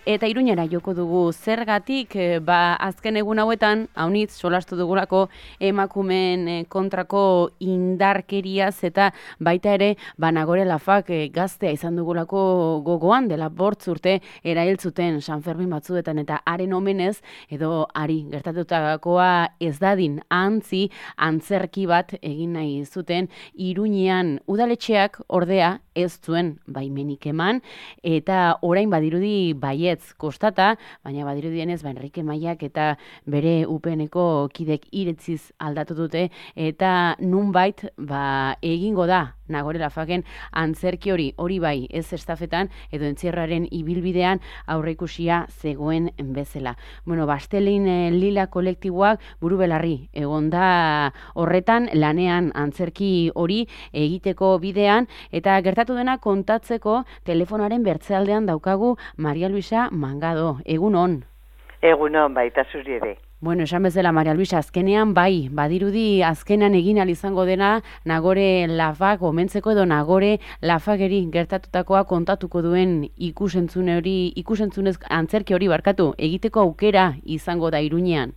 Eta Iruñera joko dugu zergatik, azken egun hauetan, haunitz solastu dugulako emakumeen kontrako indarkeriaz eta baita ere, Nagore Lafak gaztea izan dugulako gogoan dela 8 urte erail zuten San Fermin batzuetan eta haren omenez edo ari gertatutakoa ez dadin antzerki bat egin nahi zuten Iruñean. Udaletxeak ordea ez zuen baimenik eman eta orain badirudi baietz kostata, baina badirudienez Enrique Maiak eta bere UPNeko kidek iretziz aldatu dute eta nunbait egingo da Nagore Lafaken antzerki hori bai ez estafetan edo entzierraren ibilbidean aurreikusia zegoen bezala. Bastelin Lila kolektiboak buru belarri egon da horretan lanean antzerki hori egiteko bidean eta gertatu dena kontatzeko telefonaren bertzealdean daukagu Maria Luisa Mangado. Egun on. Egun on, baita zuri ere. Esan bezala, Maria Luisa, azkenean badirudi azkenan egin izango dena Nagore Lafak omentzeko edo Nagore Lafakeri gertatutakoa kontatuko duen ikusentzunez antzerki hori egiteko aukera izango da Iruñean.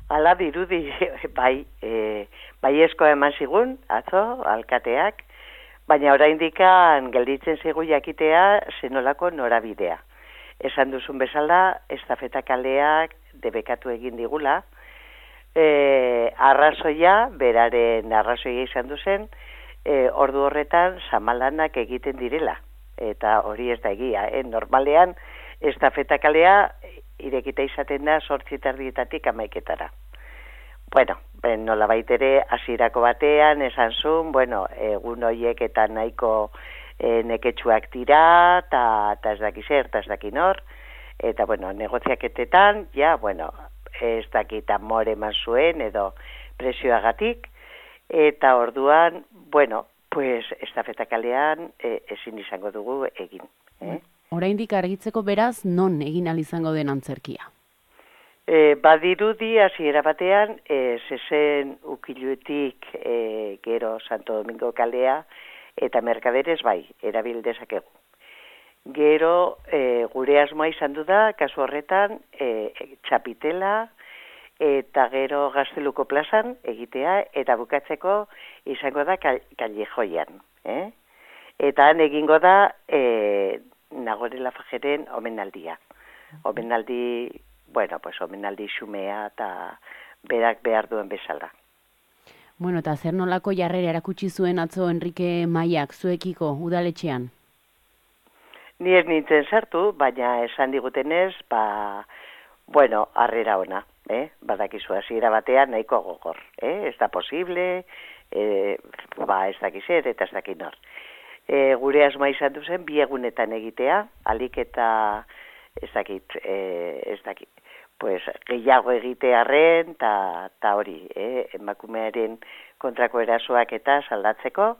Hala dirudi, baiezkoa eman zigun, atzo, alkateak, baina oraindikan gelditzen zigu jakitea zenolako norabidea. Esan duzun bezala, estafeta kaleak debekatu egin digula, beraren arrazoia izan duzen, ordu horretan samalanak egiten direla, eta hori ez da egia, normalean estafeta kalea irekita izaten da 8:30 amaiketara. Nola baitere hasierako batean esan zuen, egun horiek eta nahiko neketsuak dira, eta ez daki zer, eta ez daki nor, eta negoziaketetan, ez dakit amore eman zuen, edo presioagatik, eta orduan, estafeta kalean ezin izango dugu egin. Oraindik argitzeko beraz, non egin izango den antzerkia? Badirudi hasiera batean, zezen ukiluetik gero Santo Domingo kalea, eta merkaderez erabil dezakegu. Gero, gure asmoa izan du da, kasu horretan, txapitela, eta gero Gazteluko plazan egitea, eta bukatzeko izango da Kallejoian. Eta han egingo da Nagore Lafakeren omenaldia. Omenaldi xumea eta berak behar duen bezala. Eta zer nolako jarrera erakutsi zuen atzo Enrique Maiak zuekiko udaletxean? Ni ez nintzen sartu, baina esan digutenez, harrera ona, badakizu hasiera batean nahiko gogor, ez da posible, ez dakizer eta ez dakit nor. Gure asmoa izan duzen, 2 egunetan egitea, alik eta ez dakit, gehiago egitearren, eta hori, emakumearen kontrako erasoak eta saldatzeko,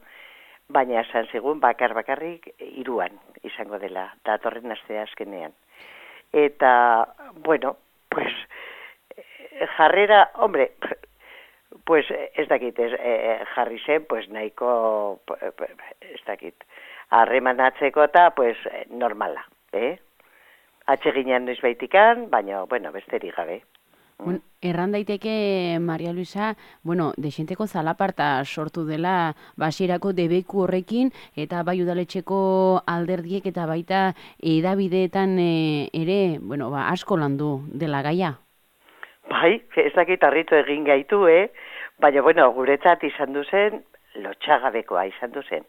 baina esan zigun bakarrik 3 izango dela, datorren astea azkenean. Eta, jarrera, ez dakit, jarri zen, nahiko, ez dakit, harremanatzeko eta, normala, Atseginan noiz baitikan, baina, besterik gabe. Erran daiteke, Maria Luisa, dexenteko zalaparta sortu dela basierako debeku horrekin, eta bai udaletxeko alderdiek eta baita edabideetan ere, asko landu dela gaia. Ez dakit harritu egin gaitu, baina, guretzat izan duzen, lotxagabekoa izan duzen.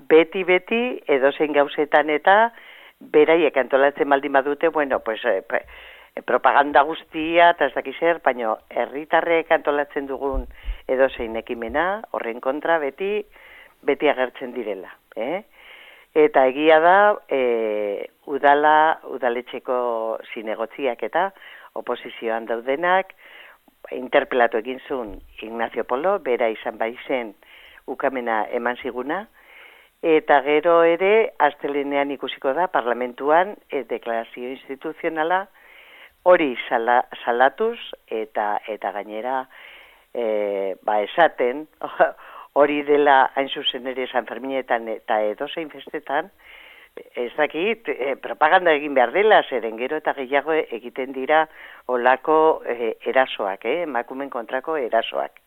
Beti edozein gauzetan eta beraiek antolatzen baldin badute, propaganda guztia, eta ez dakiz zer, baina herritarrek antolatzen dugun edozein ekimena, horren kontra beti agertzen direla. Eta egia da, udaletxeko zinegotziak eta oposizioan daudenak, interpelatu egin zuen Ignacio Polo, bera izan baizen ukamena eman ziguna, eta gero ere, astelenean ikusiko da, parlamentuan, deklarazio instituzionala, hori salatuz, eta gainera, esaten, hori dela hain zuzen ere San Ferminetan eta edozein festetan, ez dakit, propaganda egin behar dela, zeren gero eta gehiago egiten dira olako erasoak, emakumen kontrako erasoak.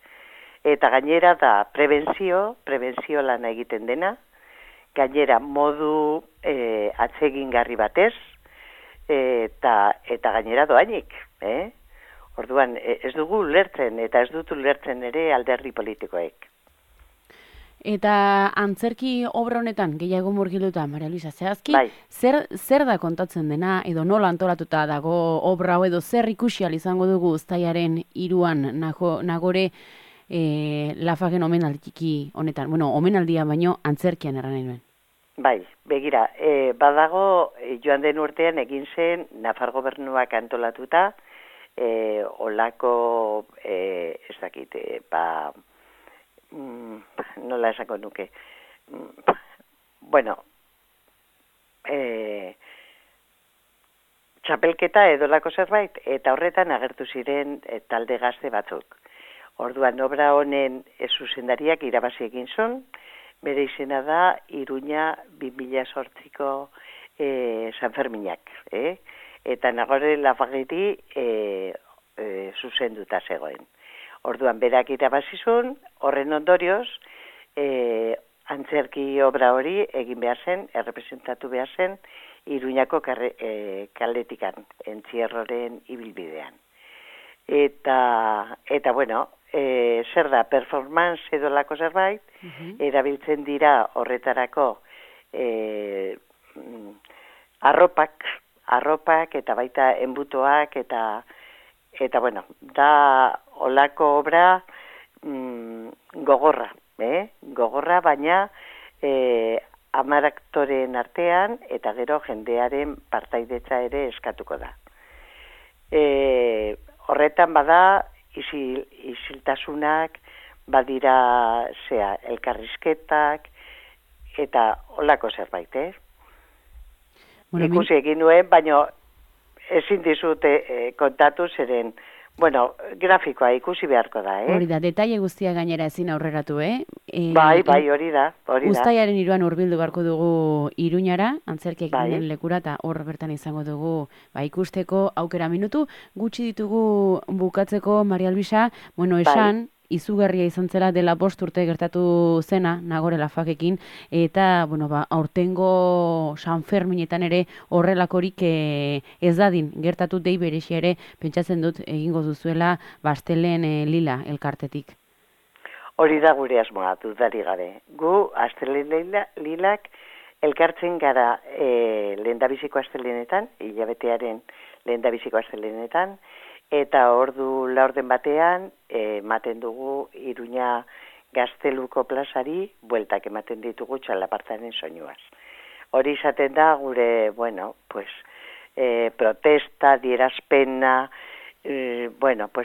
Eta gainera da prebentzio lana egiten dena, gainera modu atsegingarri batez, eta gainera doainik, Orduan, ez dugu ulertzen, eta ez dut ulertzen ere alderdi politikoek. Eta antzerki obra honetan, gehiago murgiluta, Maria Luisa, zehazki, Bai. zer da kontatzen dena, edo nola antolatuta dago obra hau, edo zer ikusi izango dugu uztailaren 3an Nagore Lafagen omenaldiki honetan, omenaldia baino antzerkian erran nahi nuen. Bai, begira, badago joan den urtean egin zen Nafar gobernuak antolatuta, olako, ez dakit, nola esako nuke. Bueno, txapelketa edolako zerbait, eta horretan agertu ziren talde gazte batzuk. Orduan, obra honen zuzendariak irabazi egin zuen, bere izena da Iruña 2008ko San Ferminak, eta Nagore Lafageti zuzenduta zegoen. Orduan, berak irabazizun, horren ondorioz, antzerki obra hori egin behar zen, errepresentatu behar zen, Iruñako kaletikan, entzierroren ibilbidean. Eta bueno, zer da, performance edo lako zerbait, erabiltzen dira horretarako arropak eta baita enbutoak eta bueno, da olako obra gogorra, gogorra, baina 10 aktoreen artean eta gero jendearen partaidetza ere eskatuko da. Horretan bada isiltasunak, badira elkarrizketak eta olako zerbait, Ikusi egin nuen, baina ezin dizute kontatu zeren, grafikoa ikusi beharko da, Hori da, detaile guztia gainera ezin aurreratu, Bai, hori da. Uztailaren 3an hurbildu beharko dugu Iruñara, antzerkiak egiten lekura, eta hor bertan izango dugu ikusteko aukera minutu. Gutxi ditugu bukatzeko, Maria Luisa, esan, izugarria izan zela dela 5 urte gertatu zena, Nagore Lafagekin, eta, aurtengo San Ferminetan ere horrelakorik ez dadin gertatu dei berexia ere, pentsatzen dut egingo duzuela Astelen Lila elkartetik. Hori da gure asmoa, dudari gabe. Gu, Astelen Lilak elkartzen gara lehendabiziko astelenetan, hilabetearen lehendabiziko astelenetan, eta ordu laurden batean ematen dugu Iruña Gazteluko plazari bueltak ematen ditugu txalapartaren soinuaz. Hori izaten da gure, protesta, dierazpena,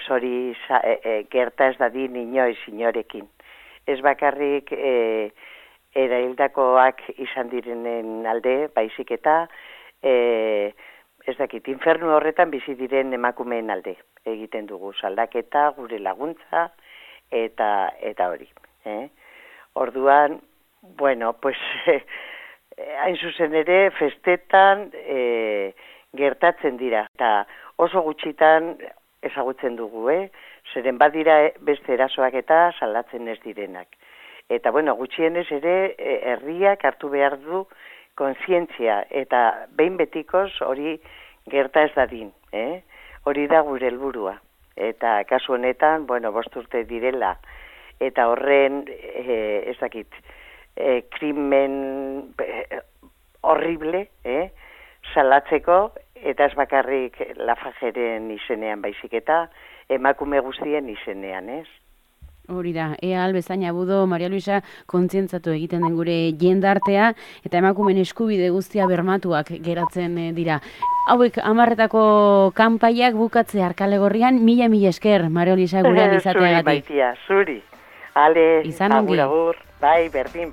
hori gerta ez dadin inoiz inorekin. Ez bakarrik eraildakoak izan direnen alde, baizik eta ez dakit, infernu horretan bizi diren emakumeen alde egiten dugu, saldaketa, gure laguntza, eta hori. Orduan, hain zuzen ere, festetan gertatzen dira, eta oso gutxitan ezagutzen dugu, zeren badira beste erasoak eta salatzen ez direnak. Eta, gutxienez ere, herriak hartu behar du kontzientzia, eta behin betikoz hori gerta ez dadin, hori da gure helburua. Eta kasu honetan, 5 urte direla, eta horren, ez dakit, krimen horrible, salatzeko, eta ez bakarrik Lafageren izenean baizik eta emakume guztien izenean, Hori da, ea albezaina budo, Maria Luisa, kontzientzatu egiten den gure jendartea, eta emakumen eskubide guztia bermatuak geratzen dira. Hauek 10etako kanpaiak bukatze Arkalegorrian, mila esker, Maria Luisa, gurean izateagatik. Zuri, Maitia, zuri. Ale, agur, bai, berdin.